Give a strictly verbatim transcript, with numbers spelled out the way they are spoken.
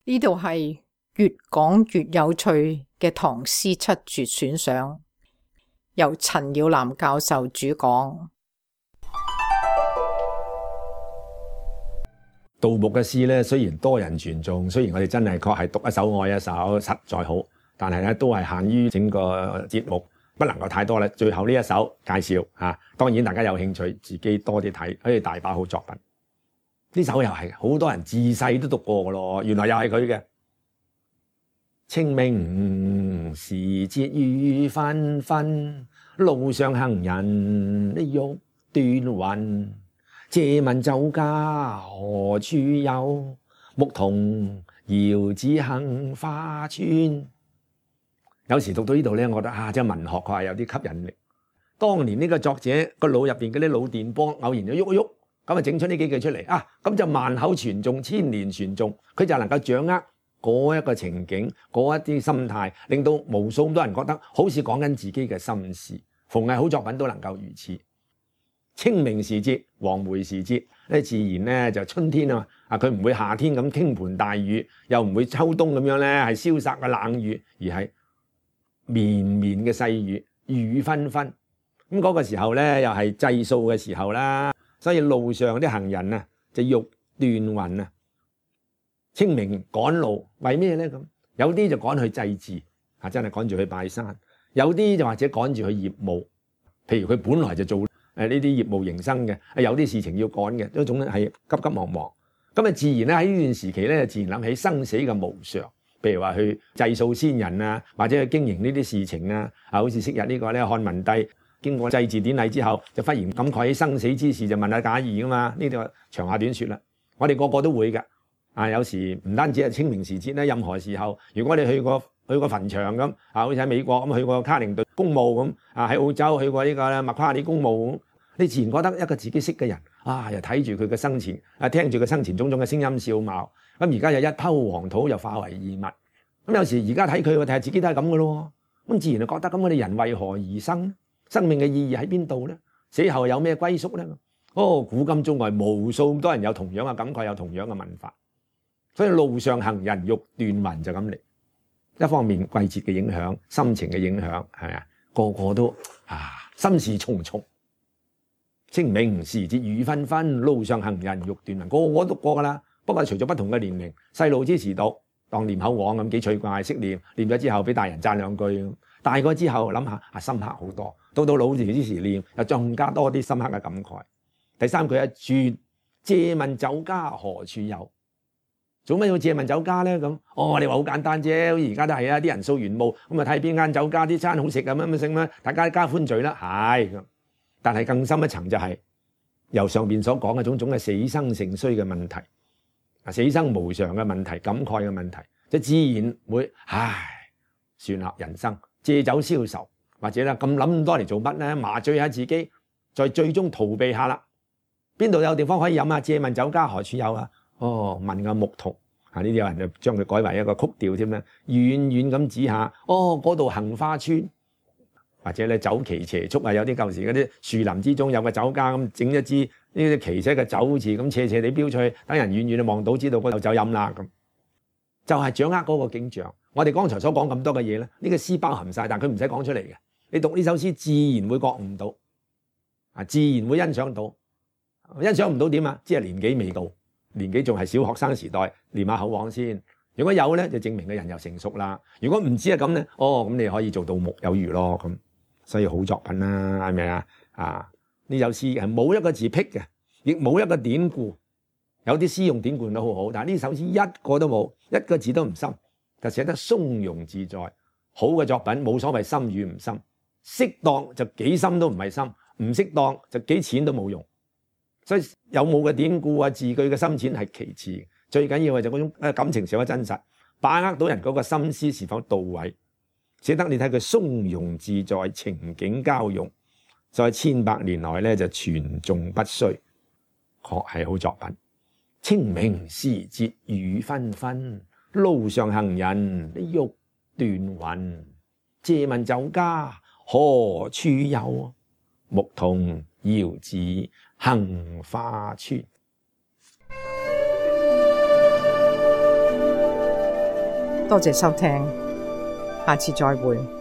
呢度係越講越有趣嘅唐詩七絕選賞，由陳耀南教授主講。杜牧嘅詩咧，雖然多人傳頌，雖然我哋真係確係讀一首愛一首，實在好，但係咧都係限於整個節目，不能夠太多啦。最後呢一首介紹啊，當然大家有興趣自己多啲睇，可以大把好作品。呢首又係好多人自細都讀過嘅咯，原來又係佢嘅。清明時節雨紛紛，路上行人欲斷魂。借問酒家何處有？牧童遙指杏花村。有時讀到呢度咧，我覺得啊，即係文學佢係有啲吸引力。當年呢個作者個腦入邊嗰啲腦電波偶然就喐一喐。咁啊，整出呢幾句出嚟啊！咁就萬口傳頌，千年傳頌，佢就能夠掌握嗰一個情景，嗰一啲心態，令到無數咁多人覺得好似講緊自己嘅心事。逢係好作品都能夠如此。清明時節、黃梅時節咧，自然咧就春天啊嘛，啊佢唔會夏天咁傾盆大雨，又唔會秋冬咁樣咧係蕭殺嘅冷雨，而係綿綿嘅細雨，雨紛紛。咁、那、嗰個時候咧，又係祭掃嘅時候啦。所以路上啲行人啊，就欲斷魂啊。清明趕路為咩咧？咁有啲就趕去祭祀啊，真係趕住去拜山；有啲就或者趕住去業務，譬如佢本來就做誒呢啲業務營生嘅，有啲事情要趕嘅，嗰種咧係急急忙忙。咁啊，自然咧喺呢段時期咧，自然諗起生死嘅無常，譬如話去祭掃先人啊，或者去經營呢啲事情啊，啊，好似昔日呢個咧漢文帝。經過祭祀典禮之後，就忽然感慨起生死之事，就問下賈誼噶嘛？呢度長話短說啦。我哋個個都會㗎。啊，有時唔單止係清明時節咧，任何時候，如果你去過去過墳場咁，啊，好似喺美國咁去過卡靈頓公墓咁，啊喺澳洲去過呢個咧麥夸里公墓咁，你自然覺得一個自己識嘅人，啊，又睇住佢嘅生前，啊，聽住佢生前種種嘅聲音笑貌，咁而家又一抔黃土又化為異物。咁有時而家睇佢，睇下自己都係咁嘅咯。咁自然就覺得咁，我哋人為何而生？生命嘅意義喺邊度咧？死後有咩歸宿咧？哦，古今中外無數咁多人有同樣嘅感慨，有同樣嘅問法。所以路上行人欲斷魂就咁嚟。一方面季節嘅影響，心情嘅影響，係咪啊？個個都啊心事重重。清明時節雨紛紛，路上行人欲斷魂。個個都讀過噶啦，不過除咗不同嘅年齡，細路之時讀當念口簧咁幾趣怪，識念念咗之後俾大人讚兩句。大個之後諗下啊，深刻好多。到到老年之時念，又更加多啲深刻嘅感慨。第三句一轉，借問酒家何處有？做乜要借問酒家咧？咁哦，你話好簡單啫，好似而家都係啊，啲人掃完墓咁啊，睇邊間酒家啲餐好食咁樣咁剩啦，大家加歡聚啦，係咁。但係更深一層就係、是、由上邊所講嘅種種嘅死生成衰嘅問題，啊，死生無常嘅問題，感慨嘅問題，就自然會唉，算啦，人生借酒消愁。或者啦，咁諗咁多嚟做乜咧？麻醉下自己，再最終逃避下啦。邊度有地方可以飲啊？借問酒家何處有啊？哦，問個牧童啊！呢啲有人就將佢改為一個曲調添啦。遠遠咁指下，哦，嗰度杏花村，或者咧酒旗斜矗啊！有啲舊時嗰啲樹林之中有個酒家咁，整一支呢啲旗寫嘅酒字咁斜斜地標出去，等人遠遠就望到知道嗰度有酒飲啦咁。就係、是、掌握嗰個景象。我哋剛才所講咁多嘅嘢咧，呢、這個詩包含晒，但佢唔使講出嚟嘅。你讀呢首詩自然會覺悟到，啊，自然會欣賞到，欣賞唔到點啊？即係年紀未到，年紀仲係小學生時代，練下口簧先。如果有咧，就證明個人又成熟啦。如果唔知係咁咧，哦，咁你可以做到木有餘咯咁。所以好作品啦，係咪啊？啊，呢首詩係冇一個字僻嘅，亦冇一個典故。有啲詩用典故都好好，但係呢首詩一個都冇，一個字都唔深，就寫得鬆容自在。好嘅作品冇所謂深與唔深。適當就幾深都唔係深，唔適當就幾淺都冇用。所以有冇嘅典故啊、字句嘅深淺係其次，最緊要嘅就嗰種感情是否真實，把握到人嗰個心思是否到位，寫得你睇佢鬆容自在，情景交融，在千百年來咧就傳頌不衰，確係好作品。清明時節雨紛紛，路上行人欲斷魂。借問酒家何處有？牧童遙指杏花村。多謝收聽，下次再會。